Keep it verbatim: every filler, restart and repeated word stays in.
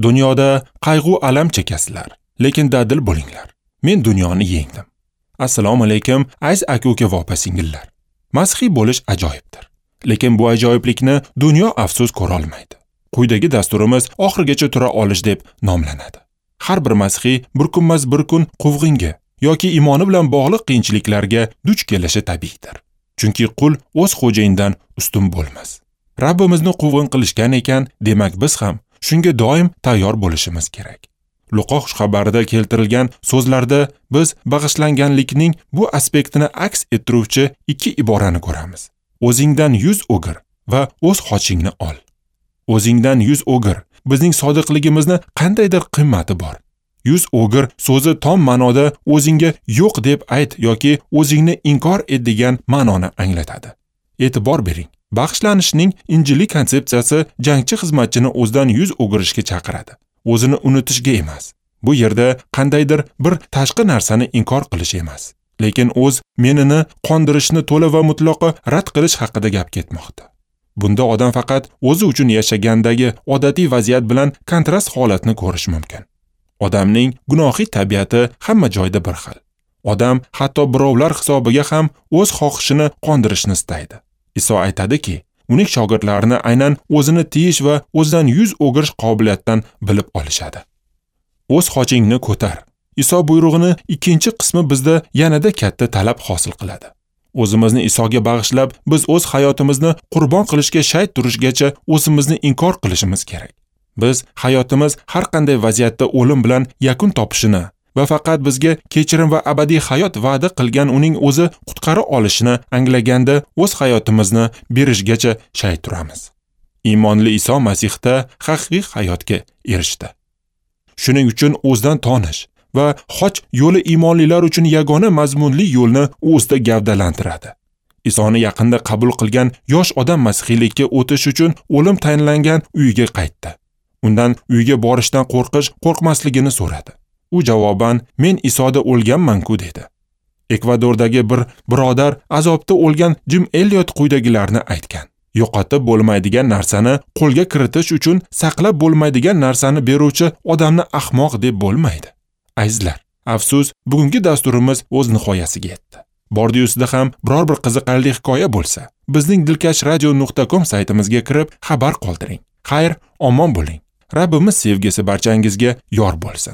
Dunyoda qayg'u alam chekasizlar, lekin dadil bo'linglar. Men dunyoni yengdim. Assalomu alaykum, aziz aka-uka va opa-singillar. Masihiy bo'lish ajoyibdir. Lekin bu ajoyiblikni dunyo afsus ko'ra olmaydi. Quyidagi dasturimiz oxirigacha tura olish deb nomlanadi. Har bir masihiy bir kunmas bir kun quvg'inga yoki iymoni bilan bog'liq qiyinchiliklarga duch kelishi tabiiydir. Chunki qul o'z xo'jayinidan ustun bo'lmas. Rabbimizni quvg'in qilishgan ekan, demak biz ham shunga doim tayyor bo'lishimiz kerak. Luqo xushxabarida keltirilgan so'zlarda biz bag'ishlanganlikning bu aspektini aks ettiruvchi ikki iborani ko'ramiz. O'zingdan yuz o'gir va o'z xochingni ol. O'zingdan yuz o'gir bizning sodiqligimizni qandaydir qimmati bor. Yuz o'gir so'zi tom ma'noda o'zingga yo'q deb ayt yoki o'zingni inkor et degan ma'noni anglatadi. E'tibor bering. Bag'ishlanishning injiliy konsepsiyasi jangchi xizmatchini o'zidan yuz o'girishga chaqiradi. O'zini unutishga emas. Bu yerda qandaydir bir tashqi narsani inkor qilish emas, lekin o'z menini qondirishni to'la va mutlaqo rad qilish haqida gap ketmoqda. Bunda odam faqat o'zi uchun yashagandagi odatiy vaziyat bilan kontrast holatni ko'rish mumkin. Odamning gunohiy tabiati hamma joyda bir xil. Odam hatto birovlar hisobiga ham o'z xohishini qondirishni istaydi. Iso aytadiki, uning shogirdlarini aynan o'zini tiyish va o'zidan yuz o'girish qobiliyatidan bilib olishadi. O'z xochingni ko'tar. Iso buyrug'ini ikkinchi qismi bizda yanada katta talab hosil qiladi. O'zimizni Isoga bag'ishlab, biz o'z hayotimizni qurbon qilishga shay turishgacha o'zimizni inkor qilishimiz kerak. Biz hayotimiz har qanday vaziyatda o'lim bilan yakun topishini va faqat bizga kechirim va abadiy hayot va'da qilgan uning o'zi qutqara olishini anglaganda o'z hayotimizni berishgacha shay turamiz. Iymonli Iso Masihda haqiqiy hayotga erishdi. Shuning uchun o'zidan tonish va xoch yo'li iymonlilar uchun yagona mazmunli yo'lni o'zida gavdalantiradi. Isoni yaqinda qabul qilgan yosh odam masihiylikka o'tish uchun o'lim tayinlangan uyiga qaytdi. Undan uyga borishdan qo'rqish, qo'rqmasligini so'radi. U javoban, "Men Isoda o'lganman-ku" dedi. Ekvadordagi bir birodar azobda o'lgan Jim Elliot quyidagilarni aytgan. Yo'qotib bo'lmaydigan narsani qo'lga kiritish uchun saqlab bo'lmaydigan narsani beruvchi odamni ahmoq deb bo'lmaydi. Azizlar, afsus, bugungi dasturimiz o'z nihoyasiga yetdi. Bordi-yusida ham biror bir qiziqarli hikoya bo'lsa, bizning dilkash radio nuqta com saytimizga kirib xabar qoldiring. Xayr, omon bo'ling. Rabbimiz sevgisi barchangizga yor bo'lsin.